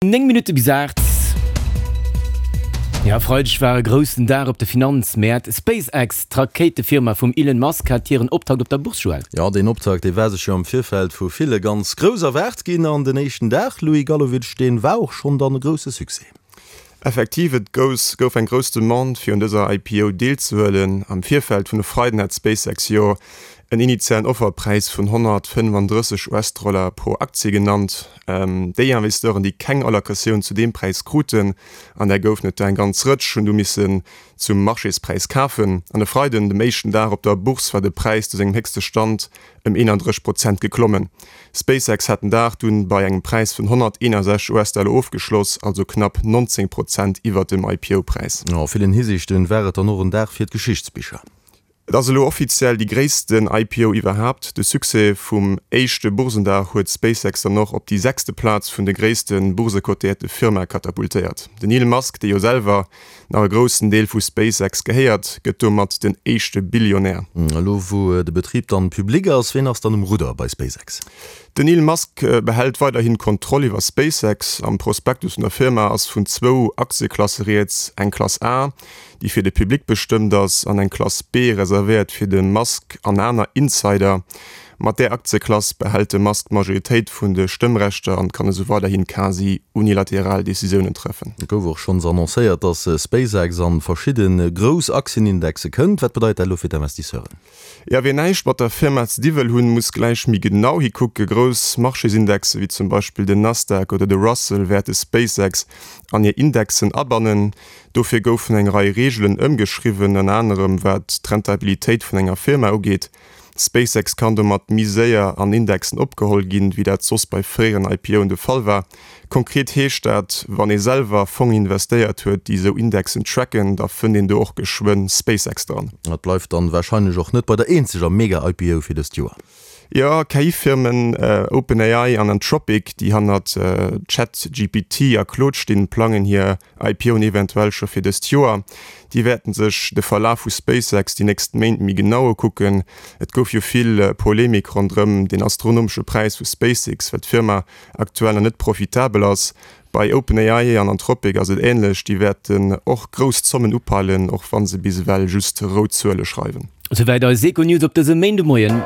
9 Minutte bis 8. Jo, e Freideg war e groussen Dag op de Finanzmäert. SpaceX, d'Rakéitefirma vum Elon Musk, hat hiren Optakt op der Bourse, Joël. Jo, deen Optakt, dee war sech jo am Virfeld vu ville ganz grouss erwaart ginn. An den éischten Dag, Louis Gallowitsch, dee war och schonn dann e grousse Succès. Effektiv, et gouf eng grouss Demande fir un dëser IPO deelzehuelen. Am Virfeld vun e Freiden hat SpaceX jo en initialen Offerpräis vun 135 US-Dollar pro Aktie genannt. Déi Investisseuren, déi keng Allocatioun zu deem Präis kruten, an där goufen et der eng ganz Rëtsch, hunn du missen zum Marchéspräis kafen. An e Freiden, dem éischten Dag op der Bourse, war de Präis zu sengem héchste Stand ëm 31 Prozent geklommen. SpaceX hat den Dag dunn bei engem Präis vun 161 US-Dollar ofgeschloss, also knapp 19 Prozent iwwert dem IPO-Präis. A villen Hisiichten war et dann och en Dag fir d'Geschichtsbicher. Et ass elo offiziell déi gréissten IPO iwwerhaapt. De Succès vum éischte Boursendag huet SpaceX dann och op déi sechste Plaz vun de gréisste boursecotéierte Firmae katapultéiert. Den Elon Musk, dee jo selwer nach e groussen Deel vu SpaceX gehéiert, gëtt domat den éischte Billionär. Elo wou de Betrib dann public ass, ween ass dann um Rudder bei SpaceX? Den Elon Musk behält weiderhin d'Kontroll iwwer SpaceX. Am Prospektus vun der Firma ass vun zwou Aktieklasse rieds, eng Klass A, déi fir de Public bestëmmt ass, an eng Klass B, reservéiert fir de Musk an aner Insider. Mat där Aktieklass behält de Musk d'Majoritéit vun de Stëmmrechter an kann esou weiderhin quasi unilateral Decisiounen treffen. Et gouf och schonns annoncéiert, dass SpaceX an verschidde grouss Aktienindexe kënnt. Wat bedeit dat elo fir d'Investisseuren? Jo, wien näischt mat der Firma ze di wëll hunn, muss gläich méi genau hikucke. Grouss Marchésindexen, wéi zum Beispill den Nasdaq oder de Russell, wäerte SpaceX an hir Indexen abannen. Dofir goufen eng Rei Reegelen ëmgeschriwwen, ënner anerem wat d'Rentabilitéit vun enger Firma ugeet. SpaceX kann domat méi séier an Indexen opgeholl ginn, wéi dat soss bei fréieren IPOen de Fall war. Konkret heescht dat, wann ee selwer Fongen investéiert huet, déi esou Indexen tracken, da fënnt een do och geschwënn SpaceX dran. Et bleift dann warscheinlech och net bei der eenzeger Mega-IPO fir dëst Joer. Jo, KI-Firmen OpenAI an Anthropic, déi hannert ChatGPT a Claude stinn, plangen hir IPOen eventuell scho fir dëst Joer. Déi wäerten sech de Verlaf vu SpaceX déi nächst Méint méi genau ukucken. Et gouf jo vill Polemik ronderëm den astronomesche Präis vu SpaceX, well d'Firma aktuell nach net profitabel ass. Bei OpenAI an Anthropic ass et änlech, déi wäerten och grouss Zommen upeilen, och wa se bis ewell just rout Zuele schreiwen. Souwäit eis Econews op dësem Méindemoien.